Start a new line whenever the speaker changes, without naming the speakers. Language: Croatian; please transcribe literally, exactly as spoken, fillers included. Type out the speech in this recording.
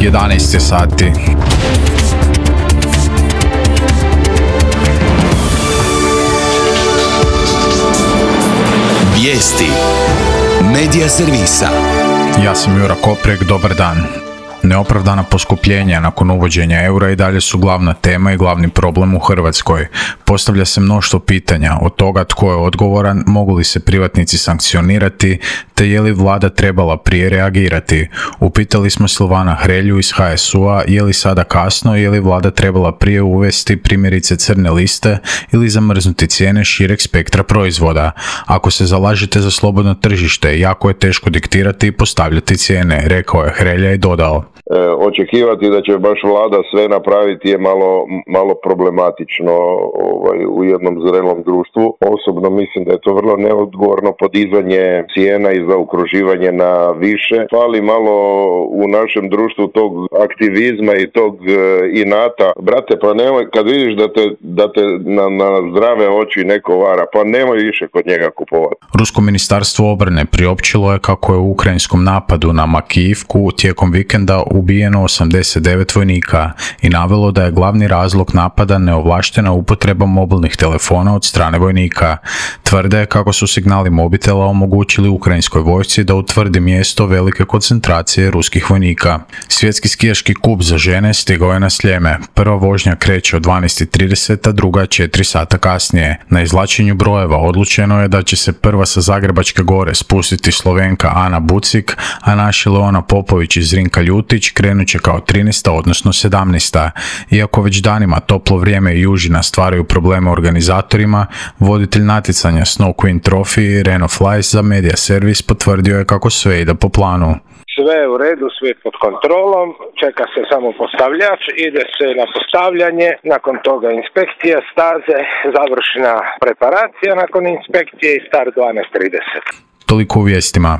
jedanaest je sati.
Vijesti Medija servisa.
Ja sam Jura Koprek, dobar dan. Neopravdana poskupljenja nakon uvođenja eura i dalje su glavna tema i glavni problem u Hrvatskoj. Postavlja se mnoštvo pitanja, od toga tko je odgovoran, mogu li se privatnici sankcionirati, te je li vlada trebala prije reagirati. Upitali smo Silvana Hrelju iz ha es u a je li sada kasno i je li vlada trebala prije uvesti primjerice crne liste ili zamrznuti cijene šireg spektra proizvoda. Ako se zalažete za slobodno tržište, jako je teško diktirati i postavljati cijene, rekao je Hrelja i dodao.
E, očekivati da će baš vlada sve napraviti je malo, malo problematično ovaj, u jednom zrelom društvu. Osobno mislim da je to vrlo neodgovorno podizanje cijena i zaokruživanje na više. Fali malo u našem društvu tog aktivizma i tog e, inata. Brate, pa nemoj, kad vidiš da te, da te na, na zdrave oči neko vara, pa nemoj više kod njega kupovati.
Rusko ministarstvo obrane priopćilo je kako je u ukrajinskom napadu na Makijivku tijekom vikenda ubijeno osamdeset devet vojnika i navelo da je glavni razlog napada neovlaštena upotreba mobilnih telefona od strane vojnika. Tvrde kako su signali mobitela omogućili ukrajinskoj vojsci da utvrdi mjesto velike koncentracije ruskih vojnika. Svjetski skijaški kup za žene stigao je na Sljeme. Prva vožnja kreće od dvanaest trideset, a druga četiri sata kasnije. Na izvlačenju brojeva odlučeno je da će se prva sa Zagrebačke gore spustiti Slovenka Ana Bucik, a naša Leona Popović iz Zrinka Ljutić krenut će kao trinaesta odnosno sedamnaesta. Iako već danima toplo vrijeme i južina stvaraju probleme organizatorima, voditelj natjecanja Snow Queen Trophy Reno Flies za Media Servis potvrdio je kako sve ide po planu.
Sve je u redu, sve je pod kontrolom, čeka se samo postavljač, ide se na postavljanje, nakon toga inspekcija staze, završna preparacija nakon inspekcije i start dvanaest trideset.
Toliko u vijestima.